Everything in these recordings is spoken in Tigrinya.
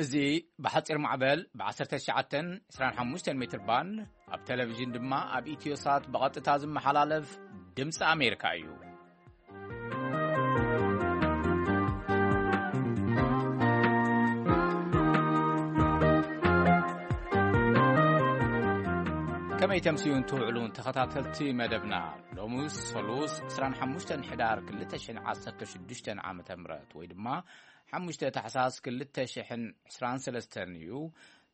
እዚ ብሓጺር ማዕበል ብ19 25 ሜትር ባንድ፣ ኣብ ቴሌቪዥን ድማ ኣብ ኢትዮሳት ብቐጥታ ዝመሓላለፍ ድምፂ ኣሜሪካ እዩ። ከመይ ተምስዩን ትውዕሉን ተኸታተልቲ መደብና? ሎሚ ሰሉስ 25 ሕዳር 2016 ዓመተ ምህረት ወይ ድማ 5 ታሕሳስ 2023 እዩ።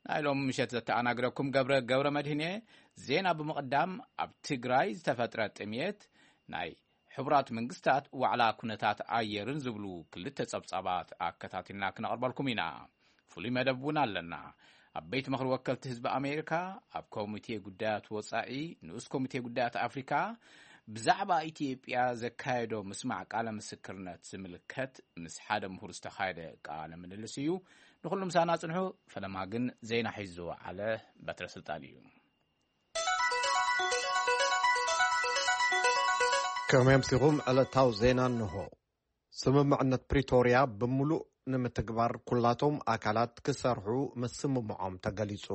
ናይ ሎም ምሸት ዘተኣናግረኩም ገብረ፣ ገብረ መድህን እየ። ዜና ብምቕዳም፣ ኣብ ትግራይ ዝተፈጥረ ጥምየት፣ ናይ ሕቡራት መንግስታት ዋዕላ ኩነታት ኣየርን ዝብሉ ክልተ ጸብጻባት ኣከታቲልና ክነቕርበልኩም ኢና። ፍሉይ መደብ እውን ኣለና። ኣብ ቤት ምኽሪ ወከልቲ ህዝቢ ኣሜሪካ፣ ኣብ ኮሚቴ ጉዳያት ወጻኢ፣ ንኡስ ኮሚቴ ጉዳያት ኣፍሪካ፣ ብዛዕባ ኢትዮጵያ ዘካየዶ ምስማዕ ቃለ ምስክርነት ዝምልከት ምስ ሓደ ምሁር ዝተኻየደ ቃለ ምልልስ እዩ። ንኹሉ ምሳና ጽንሑ። ፈለማ ግን ዜና ሒዙ ዝወዓለ በትረ ስልጣን እዩ። ከመይ ኣምሲኹም? ዕለታዊ ዜና እንሆ። ስምምዕነት ፕሪቶርያ ብምሉእ ንምትግባር ኩላቶም ኣካላት ክሰርሑ ምስምምዖም ተገሊጹ።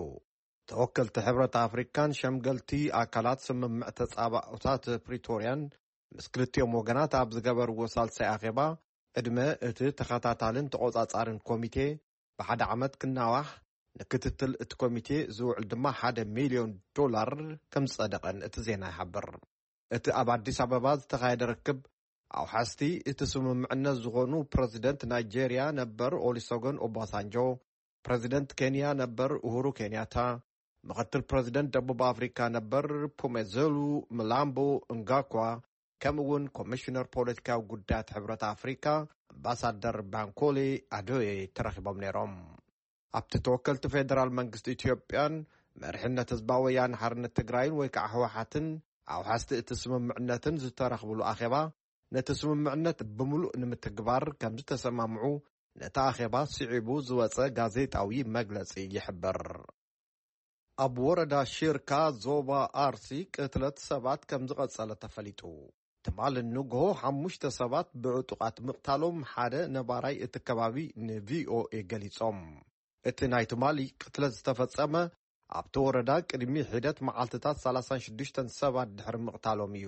ተወከልቲ ሕብረት ኣፍሪካን ሸምገልቲ ኣካላት ስምምዕ ተጻባኦታት ፕሪቶርያን ምስ ክልቲኦም ወገናት ኣብ ዝገበርዎ ሳልሳይ ኣኼባ፣ ዕድመ እቲ ተኸታታልን ተቖጻጻርን ኮሚቴ ብሓደ ዓመት ክናዋሕ፣ ንክትትል እቲ ኮሚቴ ዝውዕል ድማ ሓደ ሚልዮን ዶላር ከም ዝጸደቐን እቲ ዜና ይሓብር። እቲ ኣብ ኣዲስ ኣበባ ዝተኻየደ ርክብ፣ ኣውሓስቲ እቲ ስምምዕነት ዝኾኑ ፕረዚደንት ናይጄርያ ነበር ኦሊሶጎን ኦባሳንጆ፣ ፕረዚደንት ኬንያ ነበር ኡሁሩ ኬንያታ፣ ምኽትል ፕረዚደንት ደቡብ ኣፍሪካ ነበር ፑሜዘሉ ምላምቦ እንጋኳ፣ ከምኡ እውን ኮሚሽነር ፖለቲካዊ ጉዳያት ሕብረት ኣፍሪካ ኣምባሳደር ባንኮሌ ኣዶዬ ተረኺቦም ነይሮም። ኣብቲ ተወከልቲ ፌደራል መንግስቲ ኢትዮጵያን መሪሕነት ህዝባዊ ወያነ ሓርነት ትግራይን ወይ ከዓ ህወሓትን ኣውሓስቲ እቲ ስምምዕነትን ዝተረኽብሉ ኣኼባ፣ ነቲ ስምምዕነት ብምሉእ ንምትግባር ከም ዝተሰማምዑ ነቲ ኣኼባ ስዒቡ ዝወጸ ጋዜጣዊ መግለጺ ይሕብር። ኣብ ወረዳ ሽርካ ዞባ ኣርሲ ቅትለት ሰባት ከም ዝቐጸለ ተፈሊጡ። ትማሊ ንግሆ ሓሙሽተ ሰባት ብዕጡቓት ምቕታሎም ሓደ ነባራይ እቲ ከባቢ ንቪኦኤ ገሊጾም። እቲ ናይ ትማሊ ቅትለት ዝተፈጸመ ኣብቲ ወረዳ ቅድሚ ሒደት መዓልትታት 36 ሰባት ድሕሪ ምቕታሎም እዩ።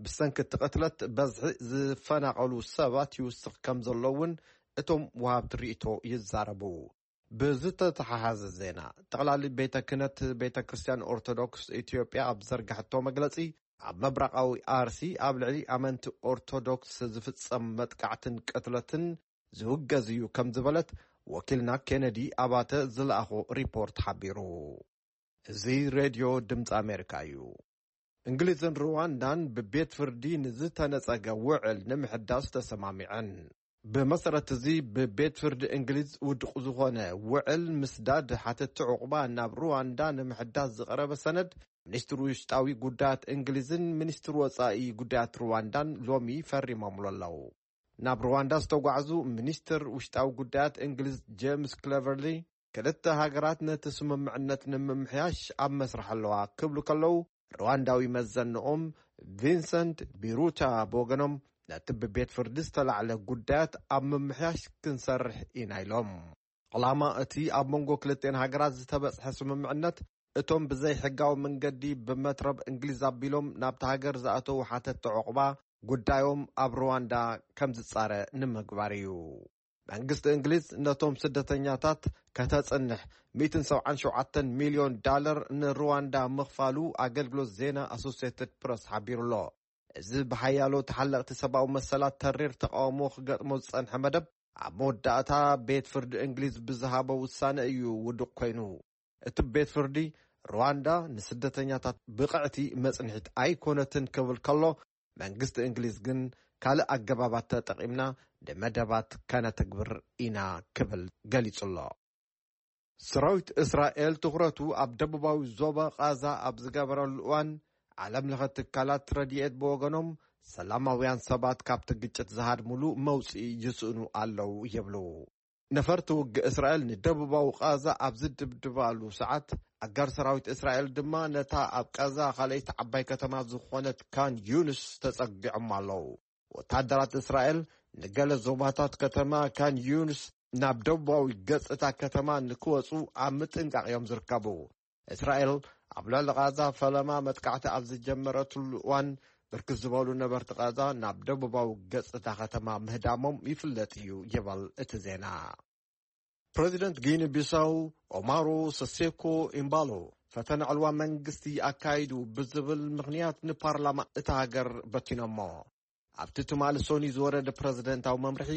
ብሰንኪ እቲ ቅትለት በዝሒ ዝፈናቐሉ ሰባት ይውስኽ ከም ዘሎ እውን እቶም ወሃብቲ ርእይቶ ይዛረቡ። ብዝተተሓሓዘ ዜና፣ ጠቕላሊ ቤተ ክህነት ቤተ ክርስቲያን ኦርቶዶክስ ኢትዮጵያ ኣብ ዘርጋሕቶ መግለጺ፣ ኣብ ምብራቓዊ ኣርሲ ኣብ ልዕሊ ኣመንቲ ኦርቶዶክስ ዝፍጸም መጥቃዕትን ቅትለትን ዝውገዝ እዩ ከም ዝበለት ወኪልና ኬነዲ ኣባተ ዝለኣኾ ሪፖርት ሓቢሩ። እዚ ሬድዮ ድምፂ ኣሜሪካ እዩ። እንግሊዝን ሩዋንዳን ብቤት ፍርዲ ንዝተነጸገ ውዕል ንምሕዳስ ተሰማሚዐን። ብመሰረት እዚ፣ ብቤት ፍርዲ እንግሊዝ ውድቕ ዝኾነ ውዕል ምስዳድ ሓተቲ ዕቑባ ናብ ሩዋንዳ ንምሕዳስ ዝቐረበ ሰነድ፣ ሚኒስትር ውሽጣዊ ጉዳያት እንግሊዝን ሚኒስትር ወጻኢ ጉዳያት ሩዋንዳን ሎሚ ፈሪሞምሉ ኣለዉ። ናብ ሩዋንዳ ዝተጓዕዙ ሚኒስትር ውሽጣዊ ጉዳያት እንግሊዝ ጄምስ ክለቨርሊ፣ ክልተ ሃገራት ነቲ ስምምዕነት ንምምሕያሽ ኣብ መስርሕ ኣለዋ ክብሉ ከለዉ፣ ሩዋንዳዊ መዘንኦም ቪንሰንት ቢሩታ ብወገኖም፣ ነቲ ብቤት ፍርዲ ዝተላዕለ ጉዳያት ኣብ ምምሕያሽ ክንሰርሕ ኢና ኢሎም። ዕላማ እቲ ኣብ መንጎ ክልቲኤን ሃገራት ዝተበጽሐ ስምምዕነት፣ እቶም ብዘይሕጋዊ መንገዲ ብመትረብ እንግሊዝ ኣቢሎም ናብቲ ሃገር ዝኣተዉ ሓተቲ ዕቑባ፣ ጉዳዮም ኣብ ሩዋንዳ ከም ዝጻረ ንምግባር እዩ። መንግስቲ እንግሊዝ ነቶም ስደተኛታት ከተጽንሕ 177 ሚልዮን ዳለር ንሩዋንዳ ምኽፋሉ ኣገልግሎት ዜና ኣሶሲየትድ ፕረስ ሓቢሩ ኣሎ። እዚ ብሓያሎ ተሓለቕቲ ሰብኣዊ መሰላት ተሪር ተቃውሞ ክገጥሞ ዝጸንሐ መደብ፣ ኣብ መወዳእታ ቤት ፍርዲ እንግሊዝ ብዝሃቦ ውሳነ እዩ ውዱቕ ኮይኑ። እቲ ቤት ፍርዲ፣ ሩዋንዳ ንስደተኛታት ብቕዕቲ መጽንሒት ኣይኮነትን ክብል ከሎ፣ መንግስቲ እንግሊዝ ግን ካልእ ኣገባባት ተጠቒምና ንመደባት ከነተግብር ኢና ክብል ገሊጹ ኣሎ። ሰራዊት እስራኤል ትኹረቱ ኣብ ደቡባዊ ዞባ ቃዛ ኣብ ዝገበረሉ እዋን፣ ዓለም ለኸ ትካላት ረድኤት ብወገኖም፣ ሰላማውያን ሰባት ካብቲ ግጭት ዝሃድሙሉ መውጽኢ ይስእኑ ኣለዉ ይብሉ። ነፈርቲ ውግእ እስራኤል ንደቡባዊ ቃዛ ኣብ ዝድብድባሉ ሰዓት፣ ኣጋር ሰራዊት እስራኤል ድማ ነታ ኣብ ቃዛ ካልኣይቲ ዓባይ ከተማ ዝኾነት ካን ዩንስ ተጸጊዖም ኣለዉ። ወታደራት እስራኤል ንገለ ዞባታት ከተማ ካን ዩንስ ናብ ደቡባዊ ገጽ እታ ከተማ ንክወጹ ኣብ ምጥንቃቕ እዮም ዝርከቡ። እስራኤል ኣብ ልዕሊ ቓዛ ፈለማ መጥቃዕቲ ኣብ ዝጀመረትሉ እዋን፣ ብርክት ዝበሉ ነበርቲ ቓዛ ናብ ደቡባዊ ገጽ እታ ከተማ ምህዳሞም ይፍለጥ እዩ ይበል እቲ ዜና። ፕረዚደንት ጊኒ ቢሳው ኦማሮ ሰሴኮ ኢምባሎ ፈተነ ዕልዋ መንግስቲ ኣካይዱ ብዝብል ምኽንያት ንፓርላማ እታ ሃገር በቲኖሞ። ኣብቲ ትማሊ ሶኒ ዝወረደ ፕረዚደንታዊ መምርሒ፣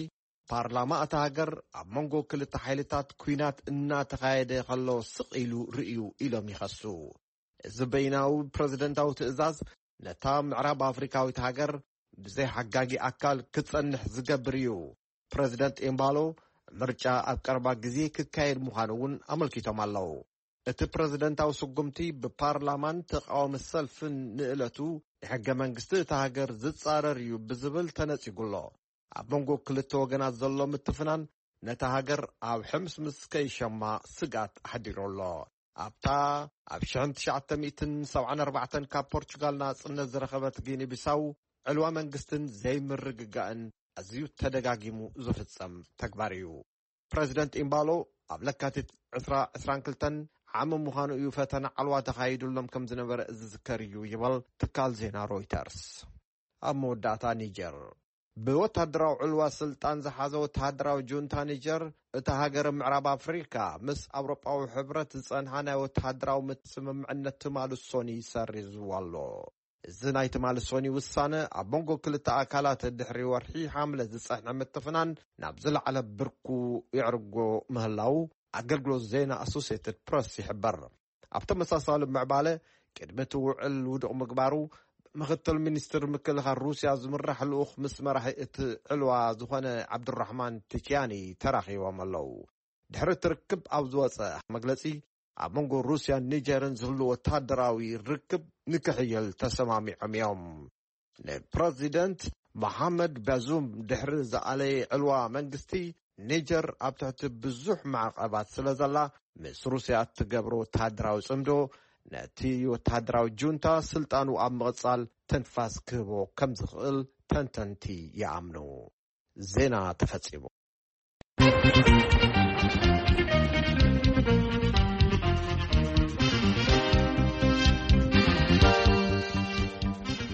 ፓርላማ እታ ሃገር ኣብ መንጎ ክልተ ሓይልታት ኲናት እናተኻየደ ከሎ ስቕ ኢሉ ርእዩ ኢሎም ይኸሱ። እዚ በይናዊ ፕረዚደንታዊ ትእዛዝ ነታ ምዕራብ ኣፍሪካዊት ሃገር ብዘይ ሓጋጊ ኣካል ክትጸንሕ ዝገብር እዩ። ፕረዚደንት ኤምባሎ ምርጫ ኣብ ቀረባ ግዜ ክካየድ ምዃኑ እውን ኣመልኪቶም ኣለዉ። እቲ ፕረዚደንታዊ ስጉምቲ ብፓርላማን ተቃዋሚ ሰልፍን ንእለቱ ንሕገ መንግስቲ እታ ሃገር ዝጻረር እዩ ብዝብል ተነጺጉ ኣሎ። ኣብ መንጎ ክልተ ወገናት ዘሎ ምትፍናን ነታ ሃገር ኣብ ሕምስምስ ከይሸማ ስግኣት ኣሕዲሩ ኣሎ። ኣብታ ኣብ ሽሕን ትሽዓተ ሚእትን ሰብዓን ኣርባዕተን ካብ ፖርቹጋል ናጽነት ዝረኸበት ጊኒ ቢሳው ዕልዋ መንግስትን ዘይምርግጋእን ኣዝዩ ተደጋጊሙ ዝፍጸም ተግባር እዩ። ፕረዚደንት ኢምባሎ ኣብ ለካቲት ዕስራ ዕስራን ክልተን ዓሚ ምዃኑ እዩ ፈተነ ዓልዋ ተኻይዱሎም ከም ዝነበረ ዝዝከር እዩ ይበል ትካል ዜና ሮይተርስ። ኣብ መወዳእታ ኒጀር። ብወታደራዊ ዕልዋ ስልጣን ዝሓዘ ወታደራዊ ጁንታ ኒጀር፣ እታ ሃገር ምዕራብ ኣፍሪካ ምስ ኣውሮጳዊ ሕብረት ዝጸንሓ ናይ ወታደራዊ ምት-፣ ስምምዕነት ትማሊ ሶኒ ሰሪዝዎ ኣሎ። እዚ ናይ ትማሊ ሶኒ ውሳነ ኣብ መንጎ ክልተ ኣካላት ድሕሪ ወርሒ ሓምለ ዝጸንሐ ምትፍናን ናብ ዝለዓለ ብርኩ የዕርጎ ምህላው ኣገልግሎት ዜና ኣሶሲየትድ ፕረስ ይሕበር። ኣብ ተመሳሳሊ ምዕባለ፣ ቅድሚ እቲ ውዕል ውዱቕ ምግባሩ፣ ምክትል ሚኒስትር ምክልኻል ሩስያ ዝምራሕ ልኡኽ ምስ መራሒ እቲ ዕልዋ ዝኾነ ዓብዱራሕማን ቲኪያኒ ተራኺቦም ኣለዉ። ድሕሪ እቲ ርክብ ኣብ ዝወጸ መግለጺ፣ ኣብ መንጎ ሩስያን ኒጀርን ዝህሉ ወታደራዊ ርክብ ንክሕየል ተሰማሚዖም እዮም። ንፕረዚደንት መሓመድ ባዙም ድሕሪ ዝኣለየ ዕልዋ መንግስቲ፣ ኒጀር ኣብ ትሕቲ ብዙሕ ማዕቐባት ስለ ዘላ፣ ምስ ሩስያ እትገብሮ ወታደራዊ ጽምዶ ነቲ ወታደራዊ ጁንታ ስልጣኑ ኣብ ምቕጻል ትንፋስ ክህቦ ከም ዝኽእል ተንተንቲ ይኣምኑ። ዜና ተፈጺሙ።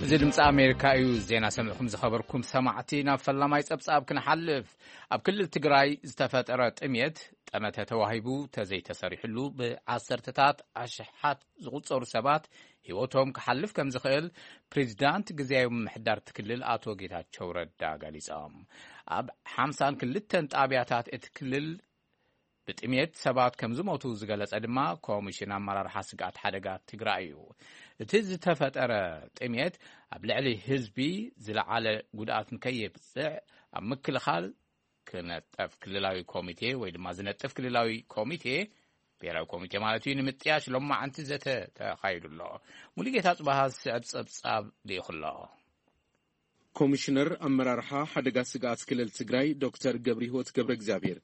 እዚ ድምፂ ኣሜሪካ እዩ። ዜና ሰሚዕኩም ዝኸበርኩም ሰማዕቲ፣ ናብ ፈላማይ ፀብፃብ ክንሓልፍ። ኣብ ክልል ትግራይ ዝተፈጠረ ጥሜት ጠመተ ተዋሂቡ ተዘይተሰሪሕሉ ብዓሰርተታት ኣሽሓት ዝቑጸሩ ሰባት ህይወቶም ክሓልፍ ከም ዝኽእል ፕሬዚዳንት ግዝያዊ ምምሕዳር እቲ ክልል ኣቶ ጌታቸው ረዳ ገሊጾም። ኣብ ሓምሳን ክልተን ጣብያታት እቲ ክልል ብጥሜት ሰባት ከም ዝሞቱ ዝገለጸ ድማ ኮሚሽን ኣመራርሓ ስግኣት ሓደጋ ትግራይ እዩ። እቲ ዝተፈጠረ ጥሜት ኣብ ልዕሊ ህዝቢ ዝለዓለ ጉድኣት ንከየብፅዕ ኣብ ምክልኻል ክነጠፍ ክልላዊ ኮሚቴ ወይ ድማ ዝነጥፍ ክልላዊ ኮሚቴ፣ ብሔራዊ ኮሚቴ ማለት እዩ፣ ንምጥያሽ ሎማዓንቲ ዘተ ተኻይዱ ኣሎ። ሙሉጌታ ጽባሃ ዝስዕብ ጸብጻብ ልኢኹ ኣሎ። ኮሚሽነር ኣመራርሓ ሓደጋ ስግኣት ክልል ትግራይ ዶክተር ገብረ ህይወት ገብረ እግዚኣብሔር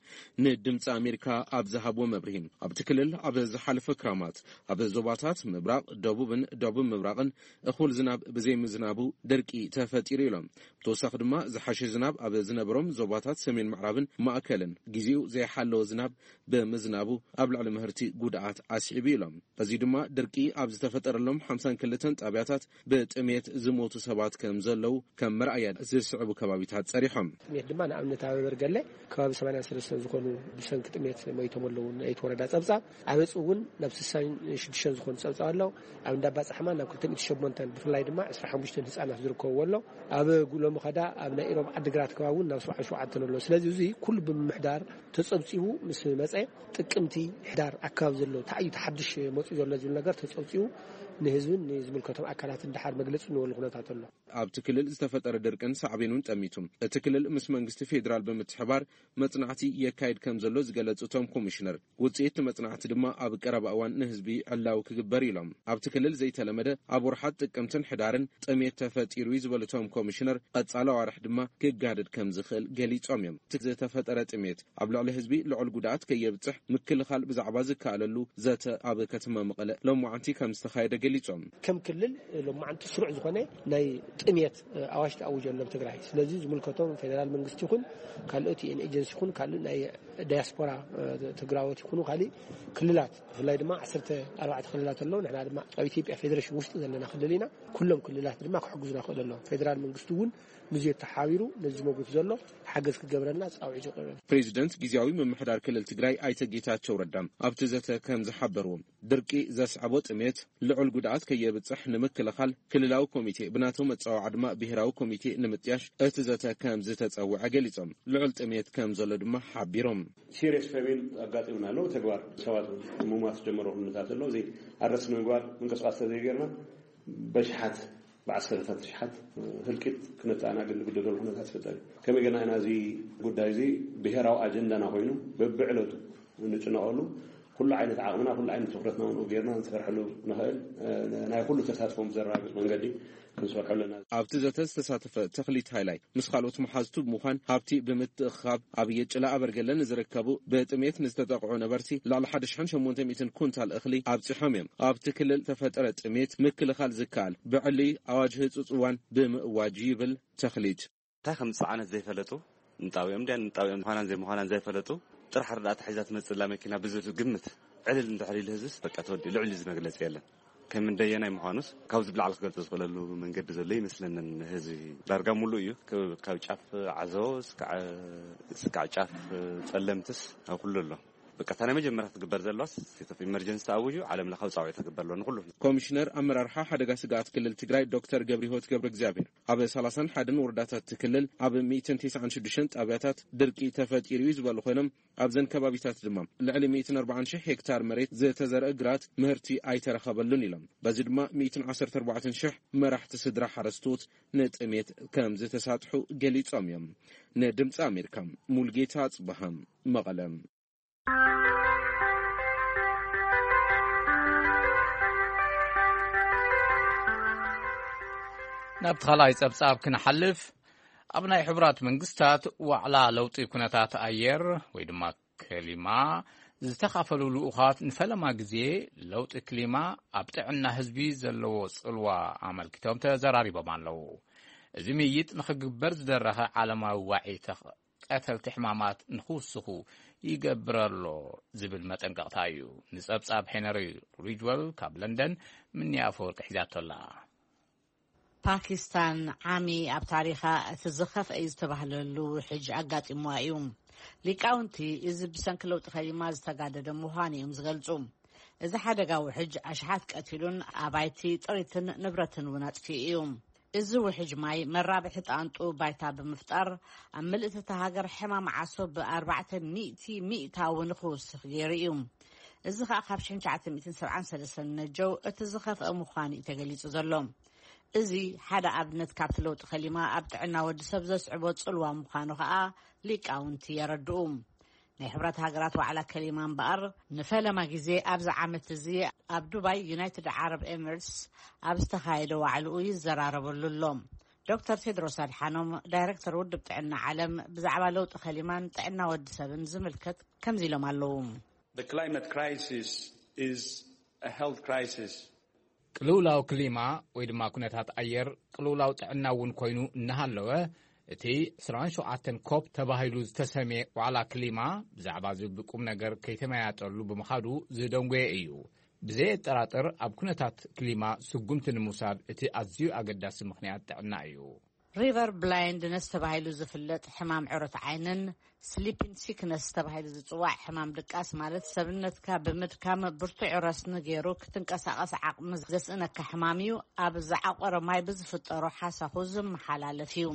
ንድምፂ ኣሜሪካ ኣብ ዝሃብዎ መብርሂ፣ ኣብቲ ክልል ኣብ ዝሓለፈ ክራማት ኣብ ዞባታት ምብራቕ፣ ደቡብን ደቡብ ምብራቕን እኹል ዝናብ ብዘይምዝናቡ ደርቂ ተፈጢሩ ኢሎም። ብተወሳኺ ድማ ዝሓሸ ዝናብ ኣብ ዝነበሮም ዞባታት ሰሜን ምዕራብን ማእከልን ግዜኡ ዘይሓለወ ዝናብ ብምዝናቡ ኣብ ልዕሊ ምህርቲ ጉድኣት ኣስዒቡ ኢሎም። በዚ ድማ ደርቂ ኣብ ዝተፈጠረሎም ሓምሳን ክልተን ጣብያታት ብጥሜት ዝሞቱ ሰባት ከም ዘለዉ ከም መርኣያ ዝስዕቡ ከባቢታት ጸሪሖም። ጥሜት ድማ ንኣብነት ኣብ በርገለ ከባቢ ሰማንያን ሰለስተን ዝኾኑ ብሰንኪ ጥሜት ሞይቶም ኣለዉ። ናይቲ ወረዳ ጸብጻብ ኣብ ዕጹ እውን ናብ ስሳን ሽዱሽተን ዝኾኑ ጸብጻብ ኣለዉ። ኣብ እንዳባ ጻሕማ ናብ ክልተ ሚእቲ ሸሞንተን ብፍላይ ድማ ዕስራ ሓሙሽተን ህጻናት ዝርከብዎ ኣሎ። ኣብ ጉ-፣ ሎሚ ኸዳ ኣብ ናይ ኢሮብ ዓዲግራት ከባቢ እውን ናብ ሰብዓን ሸውዓተን ኣሎ። ስለዚ እዚ ኩሉ ብምምሕዳር ተጸብጺቡ ምስ መጸ ጥቅምቲ ሕዳር ኣካባቢ ዘሎ እንታይ እዩ ተሓድሽ መጺኡ ዘሎ ዝብል ነገር ተጸብጺቡ ንህዝብን ንዝምልከቶም ኣካላትን ደሓር መግለጺ እንበሉ ኩነታት ኣሎ። ኣብቲ ክልል ዝተፈጠረ ድርቅን ሳዕቤኑን ጠሚቱ፣ እቲ ክልል ምስ መንግስቲ ፌዴራል ብምትሕባር መጽናዕቲ የካይድ ከም ዘሎ ዝገለጹ እቶም ኮሚሽነር፣ ውጽኢት እቲ መጽናዕቲ ድማ ኣብ ቀረባ እዋን ንህዝቢ ዕላዊ ክግበር ኢሎም። ኣብቲ ክልል ዘይተለመደ ኣብ ወርሓት ጥቅምትን ሕዳርን ጥሜት ተፈጢሩ እዩ ዝበሉ እቶም ኮሚሽነር፣ ቀጻሊ ኣዋርሕ ድማ ክጋደድ ከም ዝኽእል ገሊጾም እዮም። እቲ ዝተፈጠረ ጥሜት ኣብ ልዕሊ ህዝቢ ልዑል ጉድኣት ከየብጽሕ ምክልኻል ብዛዕባ ዝከኣለሉ ዘተ ኣብ ከተማ መቐለ ሎማዓንቲ ከም ዝተኻየደ ገሊጾም። ከም ክልል ሎማዓንቲ ስሩዕ ዝኾነ ናይ ጥሜት ኣዋጅ ተኣዊጀሎም ትግራይ። ስለዚ ዝምልከቶም ፌደራል መንግስቲ ይኹን ካልኦት ዩ ኤን ኤጀንሲ ይኹን ካልእ ናይ ዳያስፖራ ትግራዎት ይኹኑ ካሊእ ክልላት፣ ብፍላይ ድማ ዓሰርተ ኣርባዕተ ክልላት ኣለዉ። ንሕና ድማ ኣብ ኢትዮጵያ ፌዴሬሽን ውሽጢ ዘለና ክልል ኢና። ኩሎም ክልላት ድማ ክሕግዙና ክእሉ ኣለዎም። ፌደራል መንግስቲ እውን ምስዚ ተሓቢሩ ነዚ መጉት ዘሎ ሓገዝ ክገብረልና ፃውዒት ይቕርብ። ፕሬዚደንት ግዜያዊ ምምሕዳር ክልል ትግራይ ኣይተ ጌታቸው ረዳ ኣብቲ ዘተ ከም ዝሓበርዎም፣ ድርቂ ዘስዓቦ ጥሜት ልዑል ጉድኣት ከየብፅሕ ንምክልኻል ክልላዊ ኮሚቴ ብናተው መፀዋዕዓ ድማ ብሄራዊ ኮሚቴ ንምጥያሽ እቲ ዘተ ከም ዝተፀውዐ ገሊፆም። ልዑል ጥሜት ከም ዘሎ ድማ ሓቢሮም። ሲሪየስ ፌሚን ኣጋጢሙና ኣሎ። ተግባር ሰባት ምማት ጀመረ ኩነታት ኣሎ። እዚ ኣረስ ንምግባር ምንቅስቃስ ተዘይገርና በሽሓት ብዓሰርታት ሽሓት ህልቂት ክነተኣናግድ ንግደደሉ ኩነታት ይፈጠር እዩ። ከመይ ገና ኢና እዚ ጉዳይ እዚ ብሄራዊ ኣጀንዳና ኮይኑ በብዕለቱ እንጭነቐሉ፣ ኩሉ ዓይነት ዓቕምና ኩሉ ዓይነት ትኩረትና እውን ጌርና ንሰርሐሉ ንኽእል ናይ ኩሉ ተሳትፎም ዘረጋግፅ መንገዲ ክንሰርሐሉ ኣለና። ኣብቲ ዘተ ዝተሳተፈ ተኽሊት ሃይላይ ምስ ካልኦት መሓዝቱ ብምዃን ሃብቲ ብምትእኽኻብ ኣብ የጭላ ኣበርገለ ንዝርከቡ ብጥሜት ንዝተጠቕዑ ነበርቲ ልዕሊ ሓደ ሽሕን ሸሞንተ ሚእትን ኩንታል እኽሊ ኣብፂሖም እዮም። ኣብቲ ክልል ተፈጠረ ጥሜት ምክልኻል ዝከኣል ብዕሊ ኣዋጅ ህፁፅ እዋን ብምእዋጅ ይብል ተኽሊት። እንታይ ከም ዝፀዓነት ዘይፈለጡ፣ ንጣብኦም ድያ ንጣብኦም ምዃናን ዘይምዃናን ዘይፈለጡ፣ ጥራሕ ርዳእታ ሒዛ ትመፅላ መኪና ብዝብል ግምት ዕልል እንድሕር ኢሉ ህዝብስ በቃ ተወዲኡ። ልዕሊ እዚ መግለፂ የለን። ከም እንደየናይ ምዃኑስ ካብዚ ብላዕሊ ክገልፆ ዝኽእለሉ መንገዲ ዘሎ ይመስለንን። ህዝቢ ዳርጋ ሙሉእ እዩ። ካብ ጫፍ ዓዘቦ እስካዕ ጫፍ ፀለምትስ ኣብ ኩሉ ኣሎ። በቃ እታ ናይ መጀመርያ ክትግበር ዘለዋስ state of emergency ተኣውጁ ዓለም ለኻዊ ፃውዒት ክግበር ኣሎ ንኩሉ። ኮሚሽነር ኣመራርሓ ሓደጋ ስግኣት ክልል ትግራይ ዶክተር ገብረሂወት ገብረ እግዚኣብሔር ኣብ ሰላሳን ሓደን ወረዳታት እቲ ክልል ኣብ ሚእትን ተስዓን ሽዱሽተን ጣብያታት ድርቂ ተፈጢሩ እዩ ዝበሉ ኮይኖም፣ ኣብዘን ከባቢታት ድማ ልዕሊ ሚእትን ኣርባዓን ሽሕ ሄክታር መሬት ዝተዘርአ ግራት ምህርቲ ኣይተረኸበሉን ኢሎም። በዚ ድማ ሚእትን ዓሰርተ ኣርባዕተን ሽሕ መራሕቲ ስድራ ሓረስቶት ንጥሜት ከም ዝተሳጥሑ ገሊጾም እዮም። ንድምፂ ኣሜሪካ ሙልጌታ ኣፅበሃ መቐለ። ናብቲ ካልኣይ ጸብጻብ ክንሓልፍ፣ ኣብ ናይ ሕቡራት መንግስታት ዋዕላ ለውጢ ኩነታት ኣየር ወይ ድማ ክሊማ ዝተኻፈሉ ልኡኻት ንፈለማ ግዜ ለውጢ ክሊማ ኣብ ጥዕና ህዝቢ ዘለዎ ጽልዋ ኣመልኪቶም ተዘራሪቦም ኣለዉ። እዚ ምይይጥ ንኽግበር ዝደረኸ ዓለማዊ ዋዒ ተኽ- ቀተልቲ ሕማማት ንኽውስኹ ይገብር ኣሎ ዝብል መጠንቀቕታ እዩ። ንጸብጻብ ሄነሪ ሪጅወል ካብ ለንደን ምንያ ኣፈወርቂ ሒዛቶ ኣላ። ፓኪስታን ዓሚ ኣብ ታሪኻ እቲ ዝኸፍአ እዩ ዝተባህለሉ ውሕጅ ኣጋጢምዋ እዩ። ሊቃውንቲ እዚ ብሰንኪ ለውጢ ከሊማ ዝተጋደደ ምዃኑ እዮም ዝገልጹ። እዚ ሓደጋ ውሕጅ ኣሽሓት ቀቲሉን ኣባይቲ ጥሪትን ንብረትን እውን ኣጥፊኡ እዩ። እዚ ውሕጅ ማይ መራብሒ ጣንጡ ባይታ ብምፍጣር ኣብ ምልእቲ እታ ሃገር ሕማም ዓሶ ብኣርባዕተ ሚእቲ ሚእታዊ ንክውስኽ ገይሩ እዩ። እዚ ከኣ ካብ ሽሕን ትሽዓተ ሚእትን ሰብዓን ሰለስተን ነጀው እቲ ዝኸፍአ ምዃኑ እዩ ተገሊጹ ዘሎ። እዚ ሓደ ኣብነት ካብቲ ለውጢ ከሊማ ኣብ ጥዕና ወዲ ሰብ ዘስዕቦ ጽልዋ ምዃኑ ከኣ ሊቃውንቲ የረድኡ። ናይ ሕብረት ሃገራት ዋዕላ ከሊማ እምበኣር ንፈለማ ግዜ ኣብዚ ዓመት እዚ ኣብ ዱባይ ዩናይትድ ዓረብ ኤምሬትስ ኣብ ዝተኻየደ ዋዕልኡ ይዘራረበሉ ኣሎ። ዶክተር ቴድሮስ ኣድሓኖም ዳይረክተር ውድብ ጥዕና ዓለም ብዛዕባ ለውጢ ከሊማን ጥዕና ወዲ ሰብን ዝምልከት ከምዚ ኢሎም ኣለዉ። The climate crisis is a health crisis. ቅልውላው ክሊማ ወይ ድማ ኩነታት ኣየር ቅልውላው ጥዕና እውን ኮይኑ እናሃለወ፣ እቲ ዕስራን ሸውዓተን ኮፕ ተባሂሉ ዝተሰምየ ዋዕላ ክሊማ ብዛዕባ እዚ ብቁም ነገር ከይተመያጠሉ ብምኻዱ ዝደንጎየ እዩ። ብዘየጠራጥር ኣብ ኩነታት ክሊማ ስጉምቲ ንምውሳድ እቲ ኣዝዩ ኣገዳሲ ምኽንያት ጥዕና እዩ። ሪቨር ብላይንድነስ ተባሂሉ ዝፍለጥ ሕማም ዕሮት ዓይንን ስሊፒን ሲክነስ ተባሂሉ ዝጽዋዕ ሕማም ድቃስ ማለት ሰብነትካ ብምድካም ብርቱዕ ረስኒ ገይሩ ክትንቀሳቐስ ዓቕሚ ዘስእነካ ሕማም እዩ። ኣብ ዝዓቆረ ማይ ብዝፍጠሮ ሓሳኹ ዝመሓላለፍ እዩ።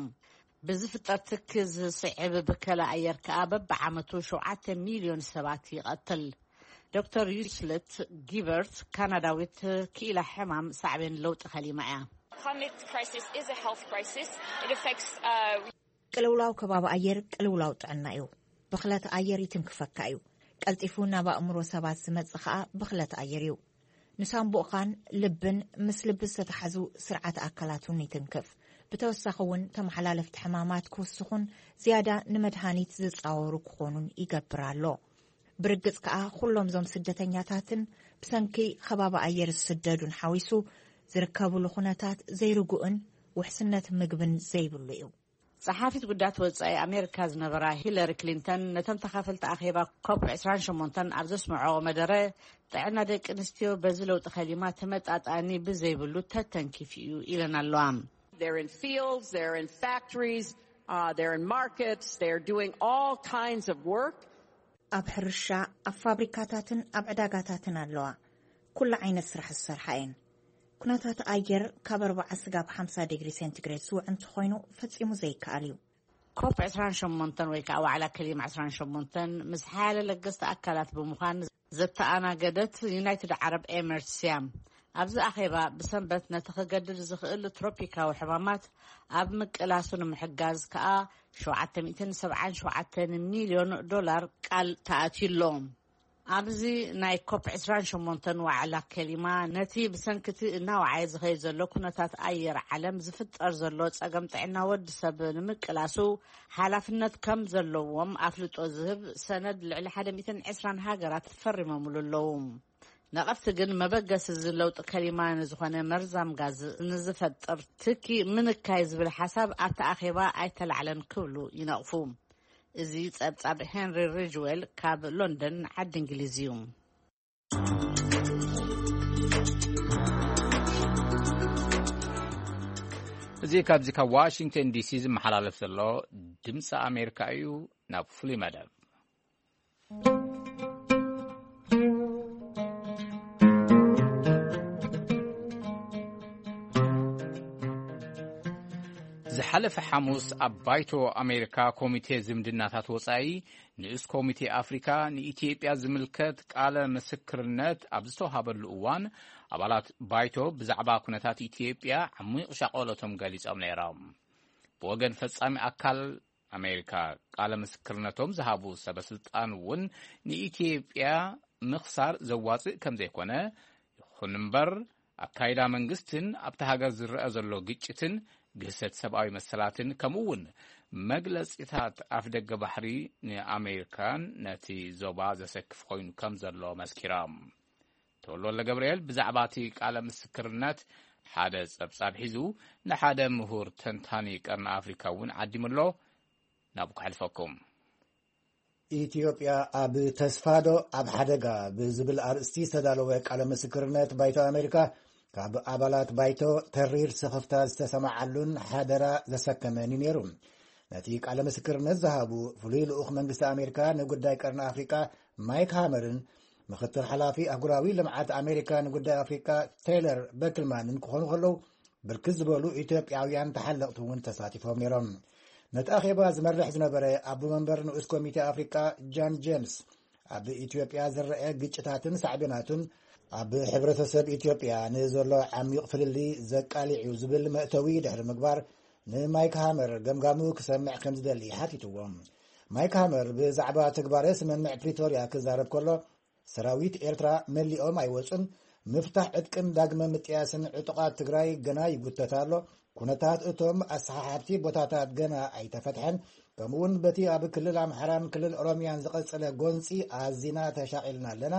ብዝፍጠር ትኪ ዝስዕብ ብከላ ኣየር ከኣ በብዓመቱ ሸውዓተ ሚልዮን ሰባት ይቐትል። ዶክተር ዩስለት ጊበርት ካናዳዊት ክኢላ ሕማም ሳዕቤን ለውጢ ከሊማ እያ። Climate crisis is a health crisis. It affects uh, ቅልውላው ከባቢ ኣየር ቅልውላው ጥዕና እዩ። ብኽለት ኣየር ይትንክፈካ እዩ። ቀልጢፉ ናብ ኣእምሮ ሰባት ዝመጽእ ኸኣ ብኽለት ኣየር እዩ። ንሳምቡእኻን ልብን ምስ ልቢ ዝተተሓዙ ስርዓት ኣካላት እውን ይትንክፍ። ብተወሳኺ እውን ተመሓላለፍቲ ሕማማት ክውስኹን ዝያዳ ንመድሃኒት ዝጻወሩ ክኾኑን ይገብር ኣሎ። ብርግጽ ከኣ ኩሎም እዞም ስደተኛታትን ብሰንኪ ከባቢ ኣየር ዝስደዱን ሓዊሱ ዝርከብሉ ኩነታት ዘይርጉእን ውሕስነት ምግብን ዘይብሉ እዩ። ጸሓፊት ጉዳያት ወጻኢ ኣሜሪካ ዝነበራ ሂለሪ ክሊንተን ነቶም ተኻፈልቲ ኣኼባ ኮፕ ዕስራን ሸሞንተን ኣብ ዘስምዖ መደረ፣ ጥዕና ደቂ ኣንስትዮ በዚ ለውጢ ከሊማ ተመጣጣኒ ብዘይብሉ ተተንኪፉ እዩ ኢለን ኣለዋ። They're in fields, they're in factories, uh, they're in markets, they're doing all kinds of work. ኣብ ሕርሻ፣ ኣብ ፋብሪካታትን ኣብ ዕዳጋታትን ኣለዋ። ኩሉ ዓይነት ስራሕ ዝሰርሓ እየን። ኩነታት ኣየር ካብ ኣርባዓ ስጋብ ሓምሳ ዲግሪ ሴንቲግሬድ ዝውዕ እንተኾይኑ ፈጺሙ ዘይከኣል እዩ። ኮፕ ዕስራን ሸሞንተን ወይ ከዓ ዋዕላ ከሊማ ዕስራን ሸሞንተን ምስ ሓያለ ለገስቲ ኣካላት ብምዃን ዘተኣናገደት ዩናይትድ ዓረብ ኤምሬትስ እያ። ኣብዚ ኣኼባ ብሰንበት ነቲ ክገድድ ዝኽእል ትሮፒካዊ ሕማማት ኣብ ምቅላሱ ንምሕጋዝ ከዓ ሸውዓተ ሚእትን ሰብዓን ሸውዓተን ሚልዮን ዶላር ቃል ተኣትዩ ኣሎ። ኣብዚ ናይ ኮፕ ዕስራን ሸሞንተን ዋዕላ ከሊማ ነቲ ብሰንክቲ እናወዓየ ዝኸይድ ዘሎ ኩነታት ኣየር ዓለም ዝፍጠር ዘሎ ጸገም ጥዕና ወዲ ሰብ ንምቅላሱ ሓላፍነት ከም ዘለዎም ኣፍልጦ ዝህብ ሰነድ ልዕሊ ሓደ ሚእትን ዕስራን ሃገራት ፈሪሞምሉ ኣለዉ። ነቐፍቲ ግን መበገሲ እዚ ለውጢ ከሊማ ንዝኾነ መርዛም ጋዝ ንዝፈጥር ትኪ ምንካይ ዝብል ሓሳብ ኣብቲ ኣኼባ ኣይተላዕለን ክብሉ ይነቕፉ። እዚ ጸብጻብ ሄንሪ ሪጅዌል ካብ ሎንደን ዓዲ እንግሊዝ እዩ። እዚ ካብዚ ካብ ዋሽንግተን ዲሲ ዝመሓላለፍ ዘሎ ድምፂ ኣሜሪካ እዩ። ናብ ፍሉይ መደብ ዝሓለፈ ሓሙስ ኣብ ባይቶ ኣሜሪካ ኮሚቴ ዝምድናታት ወጻኢ ንኡስ ኮሚቴ ኣፍሪካ ንኢትዮጵያ ዝምልከት ቃለ ምስክርነት ኣብ ዝተዋሃበሉ እዋን ኣባላት ባይቶ ብዛዕባ ኩነታት ኢትዮጵያ ዓሚቕ ሻቐሎቶም ገሊጾም ነይሮም። ብወገን ፈጻሚ ኣካል ኣሜሪካ ቃለ ምስክርነቶም ዝሃቡ ሰበስልጣን እውን ንኢትዮጵያ ምኽሳር ዘዋፅእ ከም ዘይኮነ ይኹን እምበር ኣካይዳ መንግስትን ኣብቲ ሃገር ዝረአ ዘሎ ግጭትን ግህሰት ሰብኣዊ መሰላትን ከምኡ እውን መግለፂታት ኣፍደገ ባሕሪ ንኣሜሪካን ነቲ ዞባ ዘሰክፍ ኮይኑ ከም ዘሎ መስኪሮም። ተወልደ ወልደ ገብርኤል ብዛዕባ እቲ ቃለ ምስክርነት ሓደ ጸብጻብ ሒዙ ንሓደ ምሁር ተንታኒ ቀርኒ ኣፍሪካ እውን ዓዲሙ ኣሎ። ናብኡ ከሕልፈኩም። ኢትዮጵያ ኣብ ተስፋዶ ኣብ ሓደጋ ብዝብል ኣርእስቲ ዝተዳለወ ቃለ ምስክርነት ባይቶ ኣሜሪካ ካብ ኣባላት ባይቶ ተሪር ስኽፍታ ዝተሰማዓሉን ሓደራ ዘሰከመን እዩ ነይሩ። ነቲ ቃለ ምስክርነት ዝሃቡ ፍሉይ ልኡኽ መንግስቲ ኣሜሪካ ንጉዳይ ቀርኒ ኣፍሪቃ ማይክ ሃመርን ምኽትል ሓላፊ ኣህጉራዊ ልምዓት ኣሜሪካ ንጉዳይ ኣፍሪቃ ቴይለር በክልማንን ክኾኑ ከለዉ ብርክት ዝበሉ ኢትዮጵያውያን ተሓለቕቲ እውን ተሳቲፎም ነይሮም። ነቲ ኣኼባ ዝመርሕ ዝነበረ ኣቦ መንበር ንኡስ ኮሚቴ ኣፍሪቃ ጃን ጄምስ ኣብ ኢትዮጵያ ዝረአ ግጭታትን ሳዕቤናቱን ኣብ ሕብረተሰብ ኢትዮጵያ ንዘሎ ዓሚቕ ፍልልይ ዘቃሊዕ እዩ ዝብል መእተዊ ድሕሪ ምግባር ንማይክ ሃመር ገምጋሙ ክሰምዕ ከም ዝደሊ ሓቲትዎ። ማይክ ሃመር ብዛዕባ ተግባረ ስምምዕ ፕሪቶርያ ክዛረብ ከሎ ሰራዊት ኤርትራ መሊኦም ኣይወጹን፣ ምፍታሕ ዕጥቅን ዳግመ ምጥያስን ዕጡቓት ትግራይ ገና ይጉተት ኣሎ፣ ኩነታት እቶም ኣሰሓሓብቲ ቦታታት ገና ኣይተፈትሐን፣ ከምኡውን በቲ ኣብ ክልል ኣምሓራን ክልል ኦሮሚያን ዝቐጸለ ጎንጺ ኣዚና ተሻቒልና ኣለና፣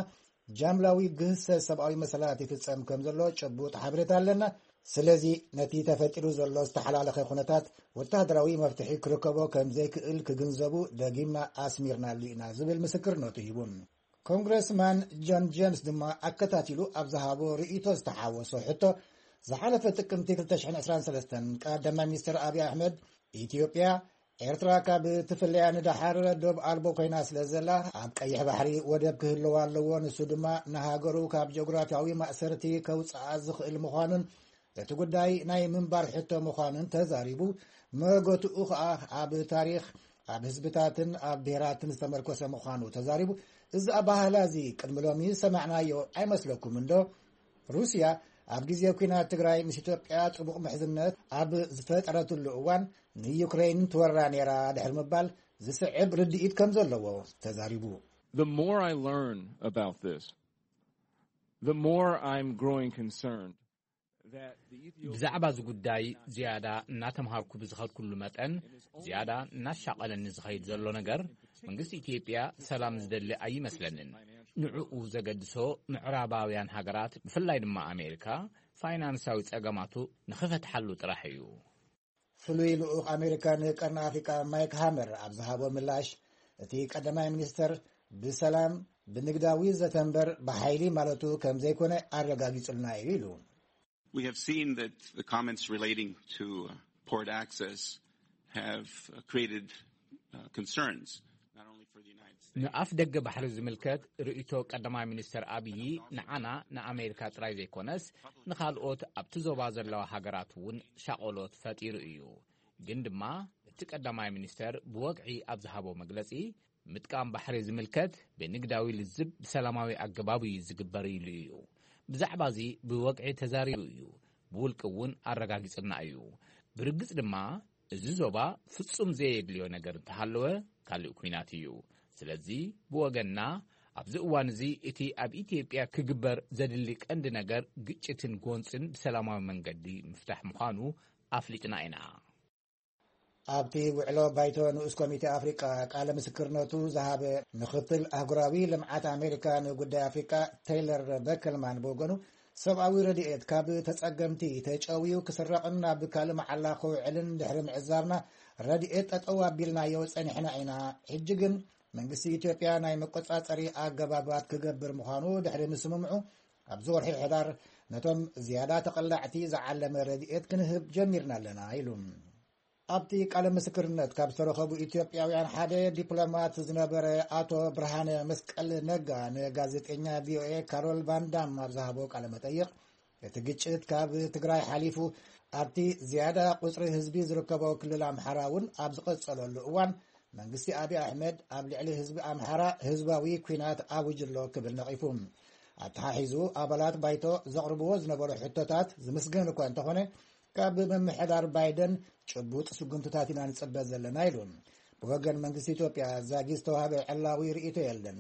ጃምላዊ ግህሰት ሰብኣዊ መሰላት ይፍጸም ከም ዘሎ ጭቡጥ ሓበሬታ ኣለና። ስለዚ ነቲ ተፈጢሩ ዘሎ ዝተሓላለኸ ኩነታት ወታደራዊ መፍትሒ ክርከቦ ከም ዘይክእል ክግንዘቡ ደጊምና ኣስሚርናሉ ኢና ዝብል ምስክርነቱ ሂቡ። ኮንግረስማን ጆን ጄምስ ድማ ኣከታቲሉ ኣብ ዝሃቦ ርእይቶ ዝተሓወሶ ሕቶ ዝሓለፈ ጥቅምቲ ክልተ ሽሕን ዕስራን ሰለስተን ቀዳማይ ሚኒስትር ኣብይ ኣሕመድ ኢትዮጵያ ኤርትራ ካብ ትፍለያ ንደሓር ዶብ ኣልቦ ኮይና ስለ ዘላ ኣብ ቀይሕ ባሕሪ ወደብ ክህልዋ ኣለዎ፣ ንሱ ድማ ንሃገሩ ካብ ጂኦግራፊያዊ ማእሰርቲ ከውፅኣ ዝኽእል ምዃኑን እቲ ጉዳይ ናይ ምንባር ሕቶ ምዃኑን ተዛሪቡ። መገትኡ ከኣ ኣብ ታሪኽ ኣብ ህዝብታትን ኣብ ብሄራትን ዝተመርኮሰ ምዃኑ ተዛሪቡ። እዚ ኣባህላ እዚ ቅድሚ ሎሚ ዝሰማዕናዮ ኣይመስለኩም እንዶ? ሩስያ ኣብ ግዜ ኲናት ትግራይ ምስ ኢትዮጵያ ጽቡቕ ምሕዝነት ኣብ ዝፈጠረትሉ እዋን ንዩክሬይን ትወራ ነይራ ድሕሪ ምባል ዝስዕብ ርድኢት ከም ዘለዎ ተዛሪቡ። The more I learn about this, the more I'm growing concerned that the Ethiopian ብዛዕባ እዚ ጉዳይ ዝያዳ እናተምሃርኩ ብዝኸድኩሉ መጠን ዝያዳ እናሻቐለኒ ዝኸይድ ዘሎ ነገር መንግስቲ ኢትዮጵያ ሰላም ዝደሊ ኣይመስለንን። ንዕኡ ዘገድሶ ምዕራባውያን ሃገራት ብፍላይ ድማ ኣሜሪካ ፋይናንሳዊ ጸገማቱ ንኽፈትሓሉ ጥራሕ እዩ። ፍሉይ ልኡኽ ኣሜሪካ ንቀርኒ ኣፍሪቃ ማይክ ሃመር ኣብ ዝሃቦ ምላሽ፣ እቲ ቀዳማይ ሚኒስተር ብሰላም ብንግዳዊ ዘተ እምበር ብሓይሊ ማለቱ ከም ዘይኮነ ኣረጋጊጹልና እዩ ኢሉ። We have seen that the comments relating to uh, port access have uh, created uh, concerns, not only for the United States. ንኣፍ ደገ ባሕሪ ዝምልከት ርእይቶ ቀዳማይ ሚኒስተር ኣብዪ ንዓና ንኣሜሪካ ጥራይ ዘይኮነስ ንኻልኦት ኣብቲ ዞባ ዘለዋ ሃገራት እውን ሻቆሎት ፈጢሩ እዩ። ግን ድማ እቲ ቀዳማይ ሚኒስተር ብወግዒ ኣብ ዝሃቦ መግለጺ፣ ምጥቃም ባሕሪ ዝምልከት ብንግዳዊ ልዝብ ብሰላማዊ ኣገባብ እዩ ዝግበር ኢሉ እዩ። ብዛዕባ እዚ ብወግዒ ተዛሪቡ እዩ። ብውልቂ እውን ኣረጋጊጽና እዩ። ብርግጽ ድማ እዚ ዞባ ፍጹም ዘየድልዮ ነገር እንተሃለወ ካልእ ኲናት እዩ። ስለዚ ብወገንና ኣብዚ እዋን እዚ እቲ ኣብ ኢትዮጵያ ክግበር ዘድሊ ቀንዲ ነገር ግጭትን ጎንጽን ብሰላማዊ መንገዲ ምፍታሕ ምዃኑ ኣፍሊጥና ኢና። ኣብቲ ውዕሎ ባይቶ ንኡስ ኮሚቴ ኣፍሪቃ ቃለ ምስክርነቱ ዝሃበ ምክትል ኣህጉራዊ ልምዓት ኣሜሪካ ንጉዳይ ኣፍሪቃ ቴይለር በከልማን ብወገኑ፣ ሰብኣዊ ረድኤት ካብ ተጸገምቲ ተጨውዩ ክስረቕን ናብ ካልእ መዓላ ክውዕልን ድሕሪ ምዕዛብና፣ ረድኤት ጠጠው ኣቢልናዮ ጸኒሕና ኢና። ሕጂ ግን መንግስቲ ኢትዮጵያ ናይ መቆጻጸሪ ኣገባባት ክገብር ምዃኑ ድሕሪ ምስምምዑ፣ ኣብዚ ወርሒ ሕዳር ነቶም ዝያዳ ተቐላዕቲ ዝዓለመ ረድኤት ክንህብ ጀሚርና ኣለና ኢሉ። ኣብቲ ቃለ ምስክርነት ካብ ዝተረኸቡ ኢትዮጵያውያን ሓደ ዲፕሎማት ዝነበረ ኣቶ ብርሃነ መስቀል ነጋ ንጋዜጠኛ ቪኦኤ ካሮል ቫንዳም ኣብ ዝሃቦ ቃለ መጠይቕ፣ እቲ ግጭት ካብ ትግራይ ሓሊፉ ኣብቲ ዝያዳ ቁፅሪ ህዝቢ ዝርከቦ ክልል ኣምሓራ እውን ኣብ ዝቐፀለሉ እዋን፣ መንግስቲ ኣብይ ኣሕመድ ኣብ ልዕሊ ህዝቢ ኣምሓራ ህዝባዊ ኲናት ኣውጅሎ ክብል ነቒፉ። ኣተሓሒዙ ኣባላት ባይቶ ዘቕርብዎ ዝነበሩ ሕቶታት ዝምስገን እኳ እንተኾነ፣ ካብ ምምሕዳር ባይደን ጭቡጥ ስጉምትታት ኢና ንጽበ ዘለና ኢሉ። ብወገን መንግስቲ ኢትዮጵያ ዛጊ ዝተዋህበ ዕላዊ ርእይቶ የለን።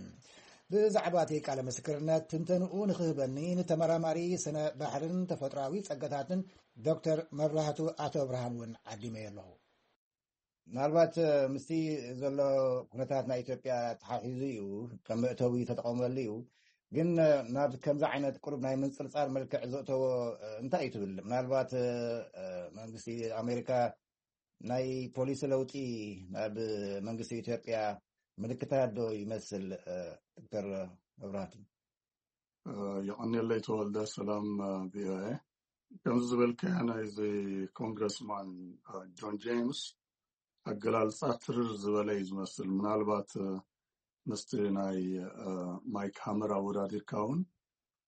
ብዛዕባ እቲ ቃለ ምስክርነት ትንተንኡ ንክህበኒ ንተመራማሪ ስነ ባሕርን ተፈጥሮኣዊ ጸገታትን ዶክተር መብራህቱ ኣቶ ብርሃን እውን ዓዲመዮ ኣለኹ። ምናልባት ምስቲ ዘሎ ኩነታት ናይ ኢትዮጵያ ተሓሒዙ እዩ፣ ከም መእተዊ ተጠቐመሉ እዩ። ግን ናብ ከምዚ ዓይነት ቁሩብ ናይ ምንፅርፃር መልክዕ ዘእተዎ እንታይ እዩ ትብል? ምናልባት መንግስቲ ኣሜሪካ ናይ ፖሊሲ ለውጢ ናብ መንግስቲ ኢትዮጵያ ምልክታት ዶ ይመስል? ዶክተር መብራህቱ። የቐኔለይ ተወልደ። ሰላም ቪኦኤ። ከምዚ ዝበልካዮ ናይዚ ኮንግረስማን ጆን ጄምስ ኣገላልፃ ትርር ዝበለ እዩ ዝመስል። ምናልባት ምስቲ ናይ ማይክ ሃመር ኣወዳዲርካ እውን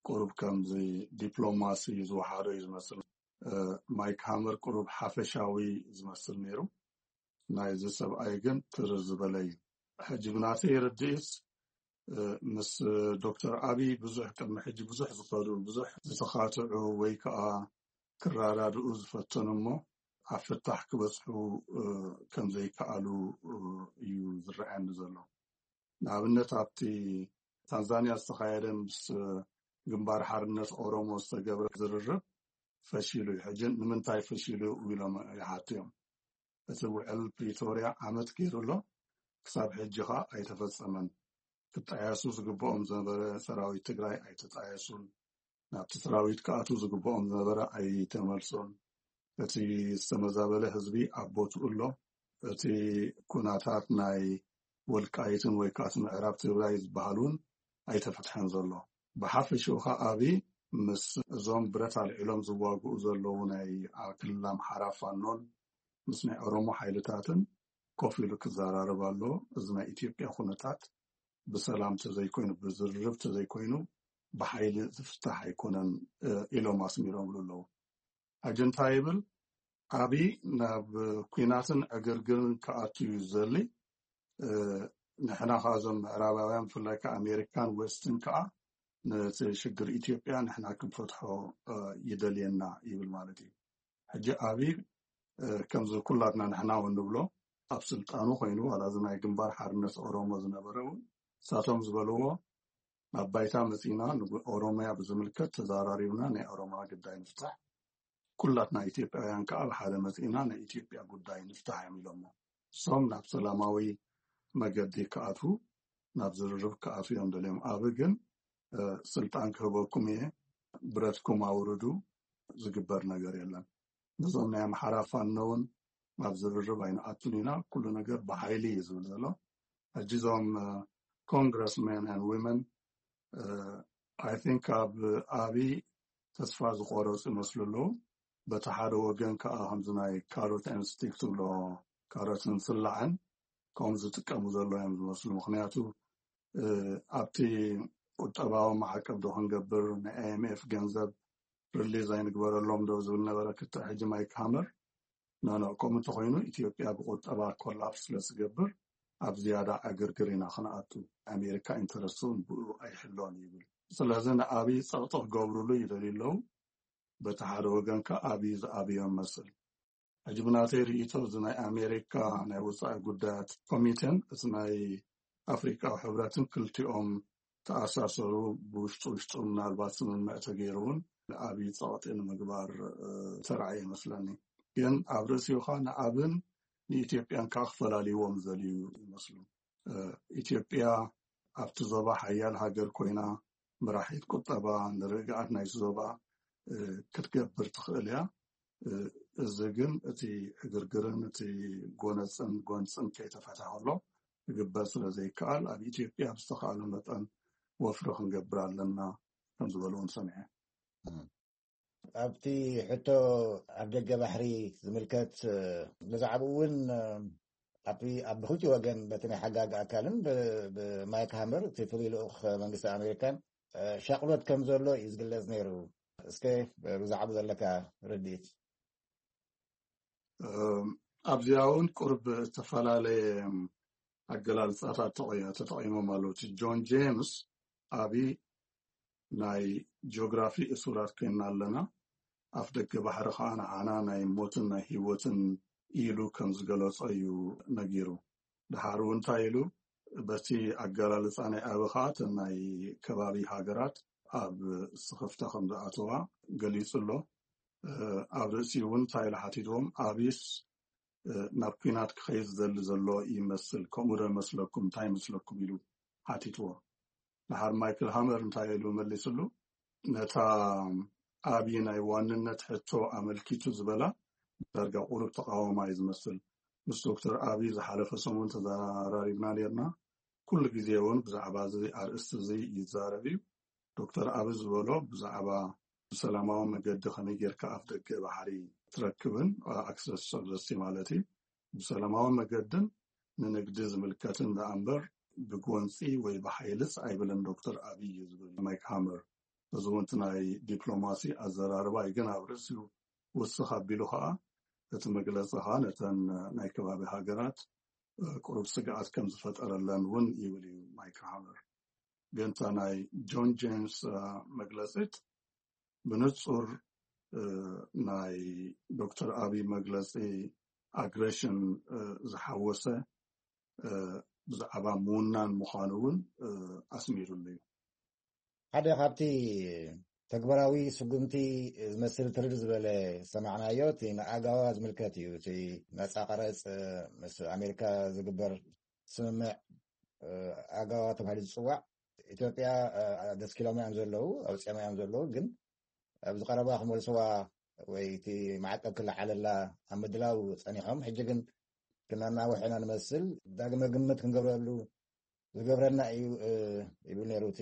ቁሩብ ከምዚ ዲፕሎማሲ ዝወሓዶ እዩ ዝመስል። ማይክ ሃመር ቁሩብ ሓፈሻዊ ዝመስል ነይሩ። ናይዚ ሰብኣይ ግን ትርር ዝበለ እዩ። ሕጂ ብናተይ ርድኢት ምስ ዶክተር ኣብይ ብዙሕ ቅድሚ ሕጂ ብዙሕ ዝኸዱ ብዙሕ ዝተኻትዑ ወይ ከዓ ክረዳድኡ ዝፈተኑ እሞ ኣብ ፍታሕ ክበፅሑ ከም ዘይከኣሉ እዩ ዝረኣየኒ ዘሎ። ንኣብነት ኣብቲ ታንዛንያ ዝተኻየደ ምስ ግንባር ሓርነት ኦሮሞ ዝተገብረ ዝርርብ ፈሺሉ እዩ። ሕጂ ንምንታይ ፈሺሉ ኢሎም ይሓቱ እዮም። እቲ ውዕል ፕሪቶርያ ዓመት ገይሩ ኣሎ፣ ክሳብ ሕጂ ኸኣ ኣይተፈጸመን። ክጣየሱ ዝግብኦም ዝነበረ ሰራዊት ትግራይ ኣይተጣየሱን። ናብቲ ሰራዊት ክኣቱ ዝግብኦም ዝነበረ ኣይተመልሱን። እቲ ዝተመዛበለ ህዝቢ ኣብ ቦትኡ ኣሎ። እቲ ኩናታት ናይ ወልቃይትን ወይ ከዓ እቲ ምዕራብ ትግራይ ዝበሃል እውን ኣይተፈትሐን ዘሎ። ብሓፈሽኡ ከዓ ኣብይ ምስ እዞም ብረት ኣልዒሎም ዝዋግኡ ዘለዉ ናይ ክልል ኣምሓራ ፋኖን ምስ ናይ ኦሮሞ ሓይልታትን ኮፍ ኢሉ ክዘራረብ ኣሎ። እዚ ናይ ኢትዮጵያ ኩነታት ብሰላም ተዘይኮይኑ ብዝርርብ ተዘይኮይኑ ብሓይሊ ዝፍታሕ ኣይኮነን ኢሎም ኣስሚሮምሉ ኣለዉ። ኣጀንታ ይብል ኣብይ ናብ ኩናትን ዕግርግርን ክኣቱ እዩ ዝደሊ። ንሕና ከዓ እዞም ምዕራባውያን ብፍላይ ከዓ ኣሜሪካን ዌስትን ከዓ ነቲ ሽግር ኢትዮጵያ ንሕና ክንፈትሖ ይደልየና ይብል ማለት እዩ። ሕጂ ኣብይ ከምዚ ኩላትና ንሕና እውን ንብሎ ኣብ ስልጣኑ ኮይኑ ዋላ እዚ ናይ ግንባር ሓርነት ኦሮሞ ዝነበረ እውን ንሳቶም ዝበልዎ ኣብ ባይታ መፂና ንኦሮሚያ ብዝምልከት ተዛራሪብና ናይ ኦሮማ ግዳይ ንፍታሕ፣ ኩላትና ኢትዮጵያውያን ከዓ ብሓደ መፂና ናይ ኢትዮጵያ ጉዳይ ንፍታሕ እዮም ኢሎሞ። እሶም ናብ ሰላማዊ መገዲ ክኣትዉ ናብ ዝርርብ ክኣትዉ እዮም ደልዮም። ኣብ ግን ስልጣን ክህበኩም እየ ብረትኩም ኣውርዱ ዝግበር ነገር የለን። ነዞም ናይ ኣምሓራ ፋኖ እውን ናብ ዝርርብ ኣይንኣቱን ኢና፣ ኩሉ ነገር ብሓይሊ እዩ ዝብል ዘሎ። ሕጂ እዞም congressmen and women I think ኣብ ኣብይ ተስፋ ዝቆረፁ ይመስሉ ኣለዉ። በቲ ሓደ ወገን ከዓ ከምዚ ናይ carrot and stick ትብሎ፣ ካሮትን ስላዕን ከም ዝጥቀሙ ዘሎ እዮም ዝመስሉ። ምክንያቱ ኣብቲ ቁጠባዊ ማዕቀብ ዶ ክንገብር፣ ናይ I M F ገንዘብ release ኣይንግበረሎም ዶ ዝብል ነበረ ክትዕ ሕጂ ማይክ ሃመር ኖኖ፣ ከምኡ እንተኮይኑ ኢትዮጵያ ብቁጠባ ኮላፕስ ስለ ዝገብር ኣብ ዝያዳ ዕግርግር ኢና ክንኣቱ፣ ኣሜሪካ ኢንተረስት እውን ብኡ ኣይሕሎን ይብል። ስለዚ ንኣብይ ፀቕጢ ክገብሩሉ ይደልዩ ኣለዉ። በቲ ሓደ ወገን ከ ኣብይ ዝኣብዮም መስል። ሕጂ ብናተይ ርእይቶ እዚ ናይ ኣሜሪካ ናይ ወፃኢ ጉዳያት ኮሚቴን እቲ ናይ ኣፍሪቃዊ ሕብረትን ክልቲኦም ተኣሳሰሩ፣ ብውሽጡ ውሽጡ ምናልባት ስምምዕ ተገይሩ እውን ንኣብይ ፀቕጢ ንምግባር ተራእየ ይመስለኒ። ግን ኣብ ርእሲኡ ከዓ ንኣብን ንኢትዮጵያን ከዓ ክፈላልይዎም ዘልዩ ይመስሉ። ኢትዮጵያ ኣብቲ ዞባ ሓያል ሃገር ኮይና፣ መራሒት ቁጠባ፣ ንርግኣት ናይቲ ዞባ ክትገብር ትኽእል እያ። እዚ ግን እቲ ዕግርግርን እቲ ጎነፅን ጎንፅን ከይተፈትሐ ከሎ ክግበር ስለ ዘይከኣል፣ ኣብ ኢትዮጵያ ብዝተኻእለ መጠን ወፍሪ ክንገብር ኣለና ከም ዝበሉ እውን ሰሚዐ። ኣብቲ ሕቶ ኣብ ደገ ባሕሪ ዝምልከት፣ ብዛዕባኡ እውን ኣብ ብክልቲ ወገን በቲ ናይ ሓጋግ ኣካልን ብማይክ ሃመር እቲ ፍሉይ ልኡኽ መንግስቲ ኣሜሪካን ሻቕሎት ከም ዘሎ እዩ ዝግለጽ ነይሩ። እስከ ብዛዕባ ዘለካ ርድኢት። ኣብዚኣ እውን ቁርብ ዝተፈላለየ ኣገላልፃታት ተጠቂሞም ኣለዉ። እቲ ጆን ጄምስ ኣብይ ናይ ጂኦግራፊ እሱራት ኮይንና ኣለና፣ ኣፍ ደገ ባሕሪ ከዓ ንዓና ናይ ሞትን ናይ ህይወትን ኢሉ ከም ዝገለጾ እዩ ነጊሩ። ድሓር እውን እንታይ ኢሉ፣ በቲ ኣገላልፃ ናይ ኣቢ ከዓ እተን ናይ ከባቢ ሃገራት ኣብ ስኽፍታ ከም ዝኣተዋ ገሊጹ ኣሎ። ኣብ ርእሲ እውን እንታይ ኢሉ ሓቲትዎም፣ ኣብይስ ናብ ኲናት ክኸይድ ዝደሊ ዘሎ ይመስል፣ ከምኡ ዶ ይመስለኩም፣ እንታይ ይመስለኩም ኢሉ ሓቲትዎ። ድሓር ማይክል ሃመር እንታይ ኢሉ መሊስሉ፣ ነታ ኣብይ ናይ ዋንነት ሕቶ ኣመልኪቱ ዝበላ ዳርጋ ቁሩብ ተቃወማ እዩ ዝመስል። ምስ ዶክተር ኣብይ ዝሓለፈ ሰሙን ተዘራሪብና ነርና። ኩሉ ግዜ እውን ብዛዕባ እዚ ኣርእስቲ እዚ ይዛረብ እዩ። ዶክተር ኣብይ ዝበሎ ብዛዕባ ብሰላማዊ መገዲ ከመይ ጌርካ ኣፍ ደገ ባሕሪ ትረክብን ኣክሰስ ኦፍ ዘ ሲ ማለት እዩ፣ ብሰላማዊ መገድን ንንግዲ ዝምልከትን ደኣ እምበር ብጎንፂ ወይ ብሓይልስ ኣይብልን ዶክተር ኣብይ እዩ ዝብል ማይክ ሃመር። እዚ እውን እቲ ናይ ዲፕሎማሲ ኣዘራርባ እዩ፣ ግን ኣብ ርእሲኡ ውስኽ ኣቢሉ ከዓ እቲ መግለፂ ከዓ ነተን ናይ ከባቢ ሃገራት ቁሩብ ስግኣት ከም ዝፈጠረለን እውን ይብል እዩ ማይክ ሃመር። ግን እታ ናይ ጆን ጄምስ መግለፂት ብንፁር ናይ ዶክተር ኣብይ መግለፂ ኣግሬሽን ዝሓወሰ ብዛዕባ ምውናን ምዃኑ እውን ኣስሚሩሉ እዩ። ሓደ ካብቲ ተግባራዊ ስጉምቲ ዝመስል ትርድ ዝበለ ዝሰማዕናዮ እቲ ንኣጋዋ ዝምልከት እዩ። እቲ ነፃ ቀረፅ ምስ ኣሜሪካ ዝግበር ስምምዕ ኣጋዋ ተባሂሉ ዝፅዋዕ ኢትዮጵያ ደስኪሎም እዮም ዘለዉ፣ ኣውፅኦም እዮም ዘለዉ። ግን ኣብዚ ቀረባ ክመልስዋ ወይ እቲ ማዕቀብ ክለዓለላ ኣብ ምድላው ፀኒሖም፣ ሕጂ ግን ክነናውሕ ኢና ንመስል፣ ዳግመ ግምት ክንገብረሉ ዝገብረና እዩ ይብል ነይሩ እቲ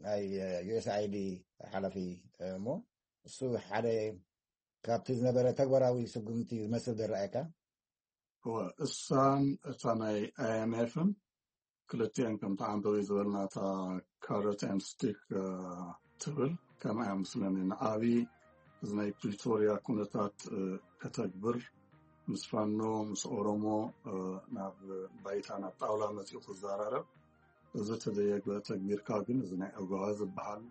ናይ ዩ ኤስ ኣይ ዲ ሓላፊ። እሞ እሱ ሓደ ካብቲ ዝነበረ ተግባራዊ ስጉምቲ ዝመስል ዝረኣየካ። እሳን እታ ናይ ኣይ ኤም ኤፍን ክልቲአን ከም ተዓንበቢ ዝበልና እታ ካረት ኤንድ ስቲክ ትብል ከምኣ እያ ምስለኒ። ንኣብይ እዚ ናይ ፕሪቶርያ ኩነታት ከተግብር ምስ ፋኖ ምስ ኦሮሞ ናብ ባይታ ናብ ጣውላ መፂኡ ክዘራረብ እዚ ተዘየግበ ተግቢርካ ግን እዚ ናይ ኦጋዋ ዝበሃል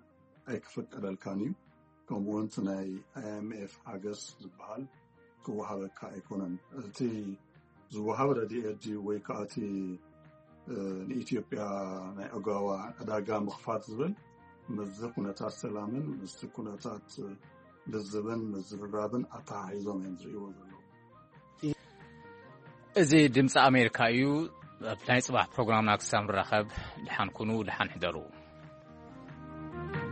ኣይክፍቀደልካን እዩ። ከምኡውን እቲ ናይ ኣይ ኤም ኤፍ ሓገዝ ዝበሃል ክወሃበካ ኣይኮነን። እቲ ዝወሃብ ረድኤት ድዩ ወይ ከዓ እቲ ንኢትዮጵያ ናይ ኦጋዋ ዕዳጋ ምኽፋት ዝብል ምስዚ ኩነታት ሰላምን ምስቲ ኩነታት ልዝብን ምዝርራብን ኣተሓሒዞም እዮም ዝርእይዎ ዘለዉ። እዚ ድምፂ ኣሜሪካ እዩ። ኣብ ናይ ፅባሕ ፕሮግራምና ክሳብ ንራኸብ ደሓን ኩኑ፣ ደሓን ሕደሩ።